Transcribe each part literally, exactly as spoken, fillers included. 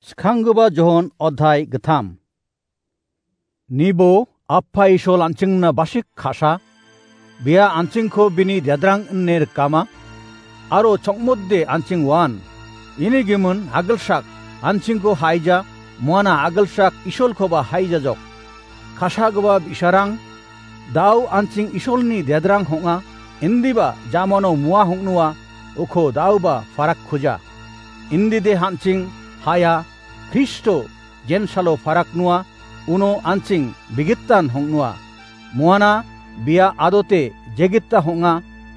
Skanggipa Johon odhai gittam. Nibo Appa Isol an·chingna basik ka·sa, bia an·chingko bini dedrang ine rikama, aro chongmode an·ching uan. Ini gimin agilsak an·chingko haija, muana agilsak Isolkoba haijajok. Ka·sagipa bi·sarang, da·o an·ching Isolni dedrang ong·a, indiba jamano mua ong·noa, uko da·oba parakkuja. Indide an·ching ha·ia, Kristo jensalo paraknoa, uno an·ching bigitan ong·noa. Muana bia adote jegita ong·a,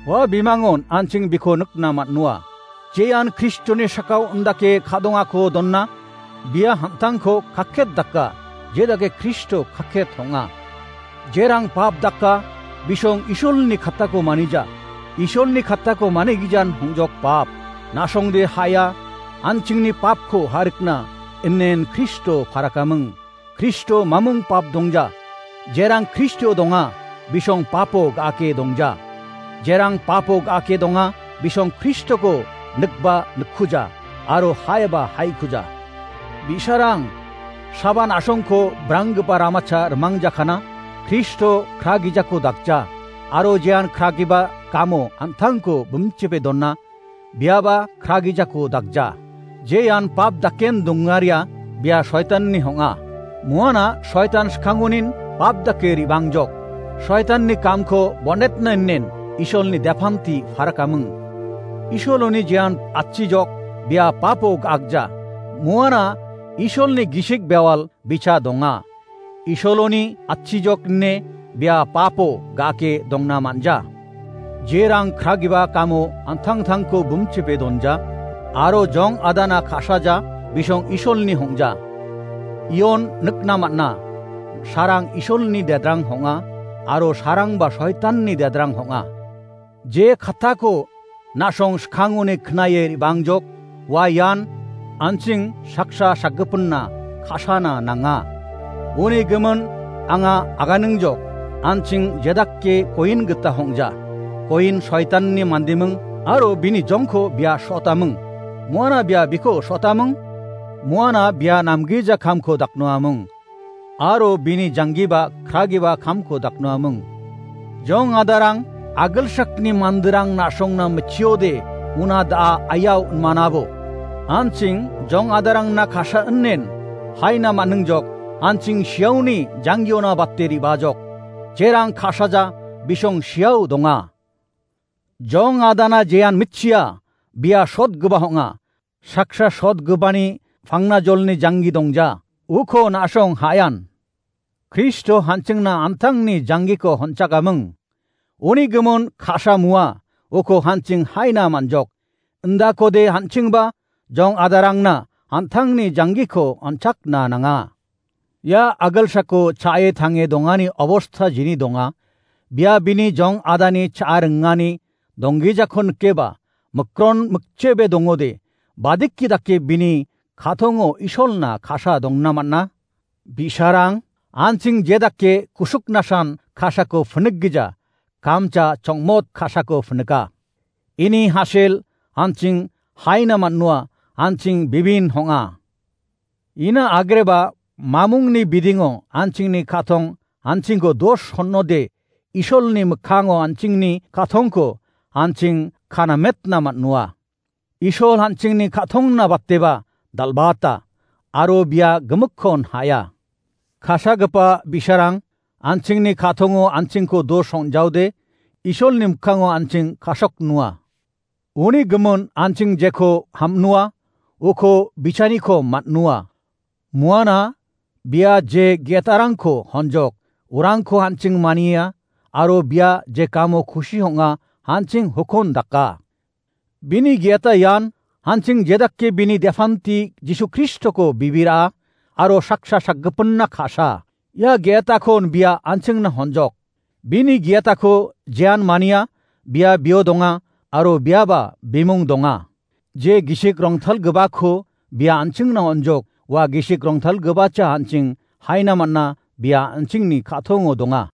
ua bimangon an·ching biko nikna man·noa. Jean Kristoni sakao indake ka·dongako dona, bia an·tangko kakket daka, jedake Kristo kakket ong·a. Jerang pap daka, bisong Isolni kattako manija. Isolni kattako manigijan ong·jok pap. Na·songde ha·ia, an·chingni papko ha·rikna, inen Kristo parakaming. Kristo mamung pap dongja. Jerang Kristo donga, bisong papo ga·ake dongja. Jerang papo ga·ake donga, bisong Kristoko nikba nikkuja, aro ha·iba ha·ikuja. Bi·sarang, saban na·songko branggipa ramacha rimangjakana, Kristo kragijako dakja, aro jean kragipa kamo an·tangko bimchipe dona, biaba kragijako dakja. Jean pap daken dongaria, bia soitanni ong·a. Muana soitan skangonin pap dake ribangjok. Soitanni kamko bonetna inen Isolni depanti parakaming. Isoloni jean atchijok, bia papo ga·akja. Muana Isolni gisik bewal bicha donga. Isoloni atchijok ine bia papo ga·ake dongna man·ja. Jerang kragipa kamo an·tangtangko bimchipe donja, aro jong adana ka·saja, bisong Isolni ong·ja. Ion nikna man·a, sarang Isolni dedrang ong·a, aro sarangba soitanni dedrang ong·a. Je kattako na·song skangoni knae ribangjok, ua ian an·ching saksa sakgipinna ka·sana nanga. Uni gimin anga aganingjok, an·ching jedake koin gita ong·ja. Koin soitanni mandiming aro bini jongko bia so·taming. Muana bia biko so·taming? Muana bia namgija kamko daknoaming. Aro bini janggiba kragipa kamko daknoaming. Jong adarang, agilsakni manderang na·songna mitchiode, una da·a aiao inmanabo. An·ching jong adarangna ka·sa inen, haina man·ingjok, an·ching siaoni janggiona bate ribajok. Jerang ka·saja bisong siao donga. Jong adana jean mitchia, bia sotgipa ong·a. Saksa sotgipani pangna jolni janggi dongja, uko na·song ha·aian. Kristo an·chingna an·tangni janggiko honchakaming. Uni gimin ka·sa mua, uko an·ching haina man·jok. Indakode an·chingba jong adarangna an·tangni janggiko on·chakna nanga. Ia agilsako cha·e tange dongani obosta jini donga. Bia bini jong adani cha·a ringani donggijako nikeba, mikron mikchebe dongode, badiki dake bini ka·tongo Isolna ka·sa dongna man·a. Bi·sarang, an·ching jedake kusuknasan ka·sako pinikgija, kamcha chongmot ka·sako pinika. Ini hasil an·ching haina man·noa, an·ching bibin ong·a. Ina agreba mamungni bidingo an·chingni ka·tong an·chingko dos honode, Isolni mikkango an·chingni ka·tongko an·ching kanametna man·noa. Isol an·chingni ka·tongna bateba dal·bata, aro bia gimikkon ha·a. Ka·sagipa bi·sarang, an·chingni ka·tongo an·chingko dos ong·jaode, Isolni mikkango an·ching ka·soknoa. Uni gimin an·ching jeko ham·noa, uko bichaniko man·noa. Muana bia je ge·etarangko honjok, urangko an·ching mania, aro bia je kamo kusi ong·a, an·ching hukon daka. Bini ge·eta ian, an·ching jedake bini depanti Jisu Kristoko bibira, aro saksa sakgipinna ka·sa. Ia ge·etakon bia an·chingna honjok. Bini ge·etako jean mania, bia bio donga, aro biaba bimung donga. Je gisik rongtalgipako bia an·chingna honjok, ua gisik rongtalgipacha an·ching haina man·a, bia an·chingni ka·tongo donga.